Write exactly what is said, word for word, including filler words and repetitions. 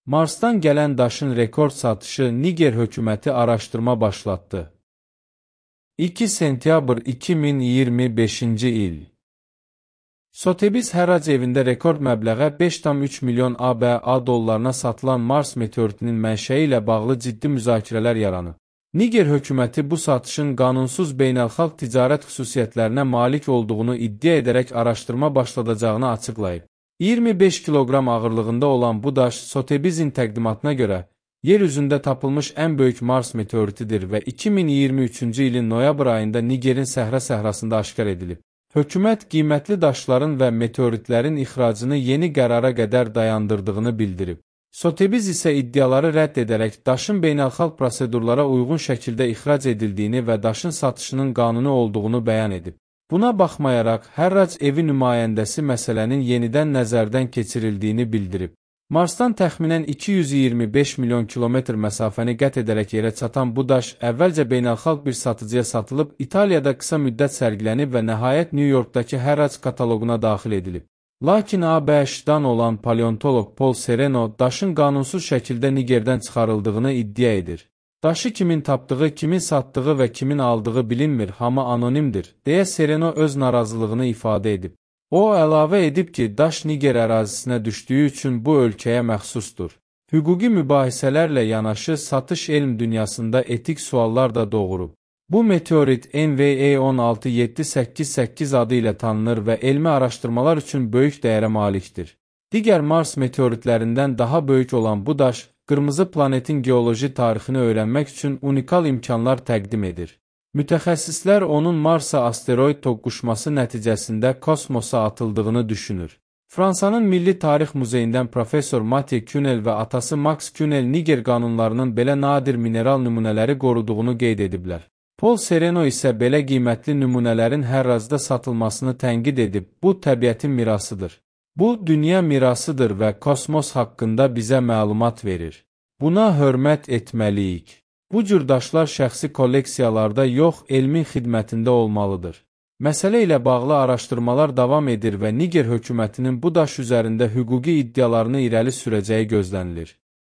Marsdan gələn daşın rekord satışı Niger hökuməti araşdırma başlatdı. iki sentyabr iki min iyirmi beşinci il. Sotheby's Hərrac evində rekord məbləğə beş tam üç milyon ABŞ dollarına satılan Mars meteoritinin mənşəyi ilə bağlı ciddi müzakirələr yaranıb. Niger hökuməti bu satışın qanunsuz beynəlxalq ticarət xüsusiyyətlərinə malik olduğunu iddia edərək araşdırma başladacağını açıqlayıb. iyirmi beş kiloqram ağırlığında olan bu daş Sotheby's'in təqdimatına görə yer üzündə tapılmış ən böyük Mars meteoritidir və iki min iyirmi üçüncü ilin noyabr ayında Nigerin səhra səhrasında aşkar edilib. Hökumət qiymətli daşların və meteoritlərin ixracını yeni qərara qədər dayandırdığını bildirib. Sotheby's isə iddiaları rədd edərək daşın beynəlxalq prosedurlara uyğun şəkildə ixrac edildiyini və daşın satışının qanuni olduğunu bəyan edib. Buna baxmayaraq, Hərrac evi nümayəndəsi məsələnin yenidən nəzərdən keçirildiyini bildirib. Marsdan təxminən iki yüz iyirmi beş milyon kilometr məsafəni qət edərək yerə çatan bu daş əvvəlcə beynəlxalq bir satıcıya satılıb, İtaliyada qısa müddət sərgilənib və nəhayət New Yorkdakı Hərrac kataloquna daxil edilib. Lakin ABŞ-dan olan paleontoloq Paul Sereno daşın qanunsuz şəkildə Nigerdən çıxarıldığını iddia edir. Daşı kimin tapdığı, kimin satdığı və kimin aldığı bilinmir, hamı anonimdir, deyə Sereno öz narazılığını ifadə edib. O, əlavə edib ki, daş Niger ərazisinə düşdüyü üçün bu ölkəyə məxsusdur. Hüquqi mübahisələrlə yanaşı satış elm dünyasında etik suallar da doğurub. Bu meteorit N V E on altı yeddi səkkiz səkkiz adı ilə tanınır və elmi araşdırmalar üçün böyük dəyərə malikdir. Digər Mars meteoritlərindən daha böyük olan bu daş, qırmızı planetin geoloji tarixini öyrənmək üçün unikal imkanlar təqdim edir. Mütəxəssislər onun Marsa asteroid toqquşması nəticəsində kosmosa atıldığını düşünür. Fransanın Milli Tarix Muzeyindən professor Mathieu Cunel və atası Max Cunel Niger qanunlarının belə nadir mineral nümunələri qoruduğunu qeyd ediblər. Paul Sereno isə belə qiymətli nümunələrin Hərracda satılmasını tənqid edib, bu təbiətin mirasıdır. Bu, dünya mirasıdır və kosmos haqqında bizə məlumat verir. Buna hörmət etməliyik. Bu cür daşlar şəxsi kolleksiyalarda yox, elmin xidmətində olmalıdır. Məsələ ilə bağlı araşdırmalar davam edir və Niger hökumətinin bu daş üzərində hüquqi iddialarını irəli sürəcəyi gözlənilir.